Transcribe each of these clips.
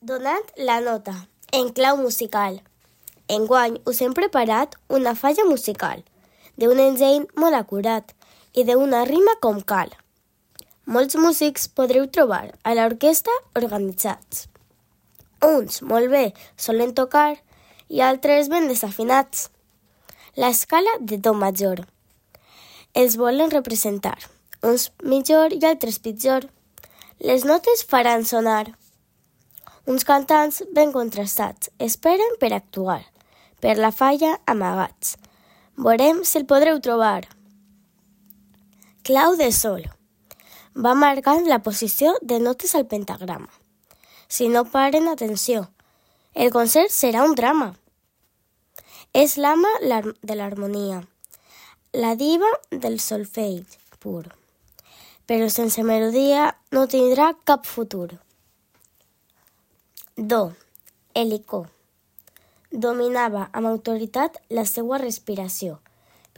Donant la nota, en clau musical. Enguany us hem preparat una falla musical, d'un enginy molt acurat i d'una rima com cal. Molts músics podreu trobar a l'orquestra organitzats. Uns molt bé solen tocar i altres ben desafinats. L'escala de do major. Els volen representar, uns millor i altres pitjor. Les notes faran sonar. Uns cantants ben contrastats esperen per actuar, per la falla amagats. Veurem si el podreu trobar. Clau de sol. Va marcant la posició de notes al pentagrama. Si no paren atenció, el concert serà un drama. És l'ama de l'harmonia, la diva del solfeig pur, però sense melodia no tindrà cap futur. Do, helicó. Dominava amb autoritat la seva respiració,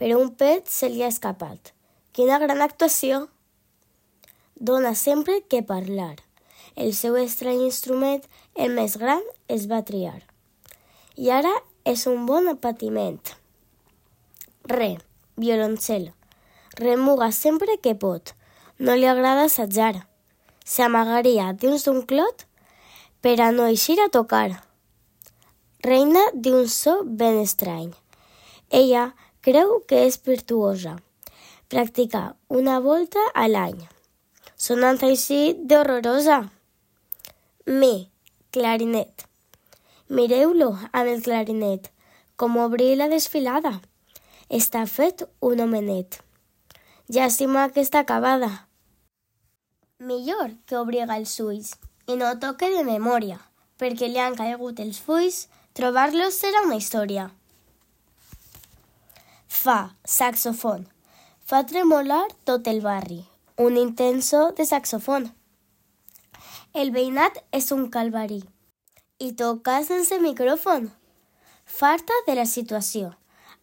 però un pet se li ha escapat. Quina gran actuació! Dona sempre que parlar. El seu estrany instrument, el més gran, es va triar. I ara és un bon patiment. Re, violoncel. Remuga sempre que pot. No li agrada assajar. S'amagaria dins d'un clot per a no eixir a tocar. Reina d'un so ben estrany. Ella creu que és virtuosa. Practica una volta a l'any, sonant així d'horrorosa. Mi, clarinet. Mireu-lo amb el clarinet, com obrir la desfilada. Està fet un homenet. Llàstima que està acabada. Millor que obriga els ulls i no toque de memòria, perquè li han caigut els fulls, trobar-los serà una història. Fa, saxofon. Fa tremolar tot el barri, un intenso de saxofon. El veïnat és un calvari i toca sense micròfon. Farta de la situació,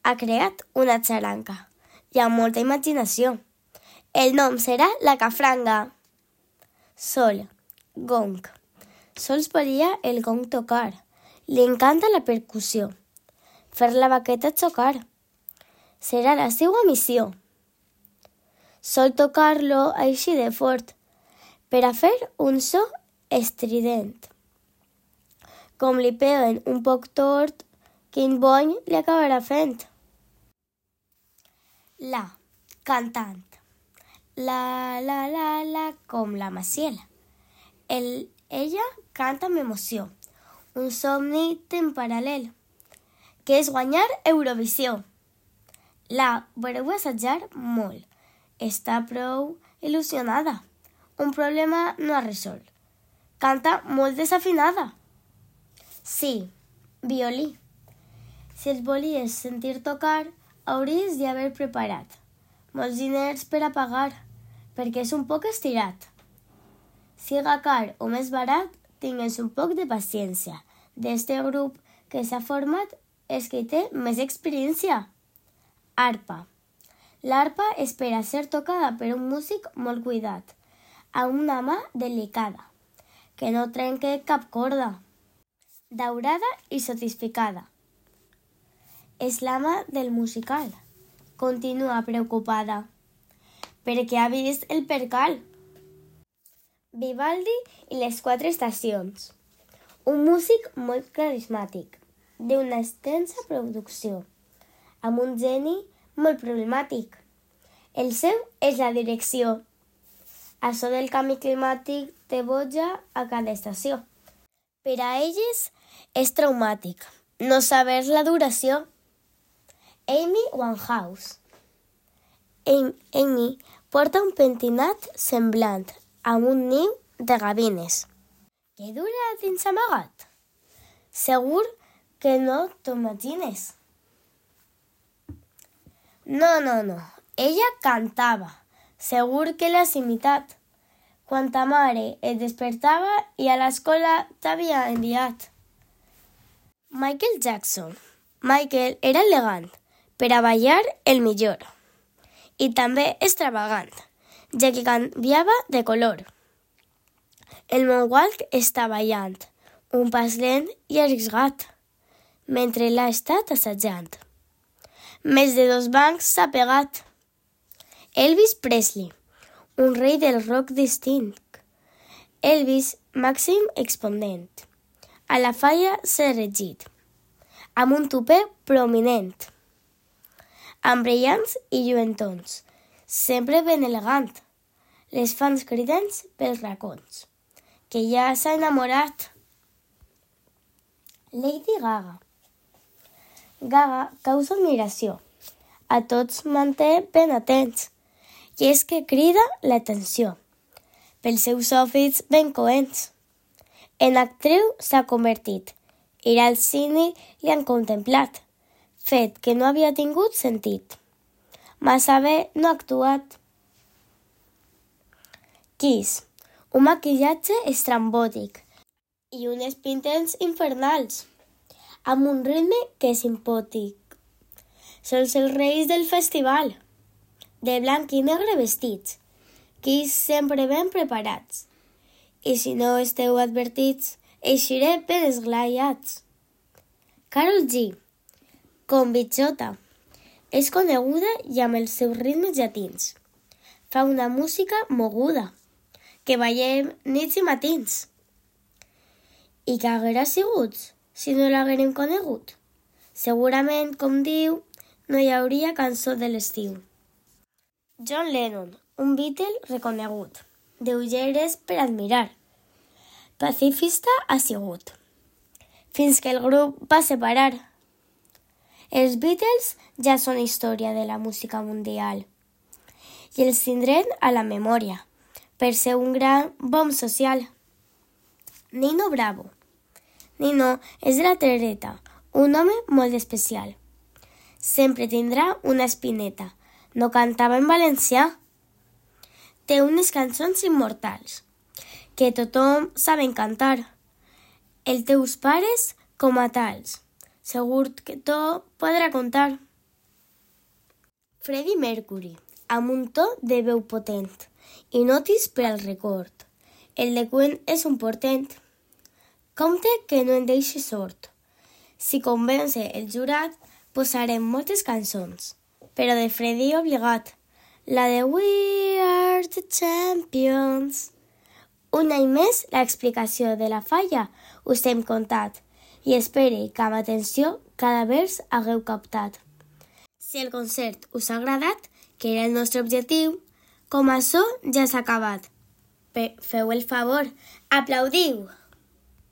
ha creat una xaranca i amb molta imaginació. El nom serà la cafranga. Sol, gong. Sols volia el gong tocar. Li encanta la percussió. Fer la baqueta xocar. Serà la seva missió. Sol tocar-lo així de fort per a fer un so estrident. Com li peguen un poc tort, quin bony li acabarà fent. La, cantant. La, com la Maciel. Ella canta amb emoció. Un somni en paral·lel, que és guanyar Eurovisió. La veureu assajar molt. Està prou il·lusionada. Un problema no ha resolt. Canta molt desafinada. Sí, violí. Si els volies sentir tocar, hauries d'haver preparat molts diners per a pagar, perquè és un poc estirat. Siga car o més barat, tingues un poc de paciència. D'este grup que s'ha format és que té més experiència. Arpa. L'arpa és per a ser tocada per un músic molt cuidat, amb una mà delicada, que no trenque cap corda. Daurada i sofistificada. És l'ama del musical. Continua preocupada, perquè ha vist el percal. Vivaldi i les 4 estacions. Un músic molt carismàtic, d'una extensa producció, amb un geni molt problemàtic. El seu és la direcció. Això del canvi climàtic té boja a cada estació. Per a elles és traumàtic no saber la duració. Amy Winehouse. Amy porta un pentinat semblant amb un niu de gavines. Què dura dins amagat? Segur que no t'ho imagines. No. Ella cantava. Segur que l'has imitat. Quan ta mare et despertava i a l'escola t'havia enviat. Michael Jackson. Michael era elegant, per a ballar el millor. I també extravagant, ja que canviava de color. El Moonwalk està ballant, un pas lent i arriscat, mentre l'ha estat assajant. Més de 2 bancs s'ha pegat. Elvis Presley, un rei del rock distint. Elvis, màxim exponent. A la falla s'ha regit, amb un tupé prominent, amb brillants i lluentons, sempre ben elegant. Les fans cridents pels racons, que ja s'ha enamorat. Lady Gaga. Gaga causa admiració. A tots manté ben atents, i és que crida l'atenció pels seus outfits ben coents. En actriu s'ha convertit. Ir al cine li han contemplat, fet que no havia tingut sentit. Massa bé no ha actuat. Kiss, un maquillatge estrambòtic i unes pintes infernals, amb un ritme que és impòtic. Són els reis del festival, de blanc i negre vestits, Kiss sempre ben preparats. I si no esteu advertits, eixiré ben esglaiats. Karol G, com bitxota, és coneguda i amb els seus ritmes llatins. Fa una música moguda, que ballem nits i matins. I què haguera sigut si no l'haguérem conegut? Segurament, com diu, no hi hauria cançó de l'estiu. John Lennon, un Beatle reconegut, d'ulleres per admirar. Pacifista ha sigut, fins que el grup va separar. Els Beatles ja són història de la música mundial i els tindrem a la memòria per ser un gran bomb social. Nino Bravo. Nino és de la Terreta, un home molt especial. Sempre tindrà una espineta. No cantava en valencià. Té unes cançons immortals que tothom saben cantar. Els teus pares com a tals. Segur que tot podrà contar. Freddie Mercury, amb un to de veu potent i notis per al record. El de Queen és un portent. Compte que no en deixi sort. Si convence el jurat, posarem moltes cançons, però de Freddie obligat. La de We Are the Champions. Un any més, l'explicació de la falla us hem contat i espere que amb atenció cada vers hagueu captat. Si el concert us ha agradat, que era el nostre objectiu, com això ja s'ha acabat. Feu el favor, aplaudiu!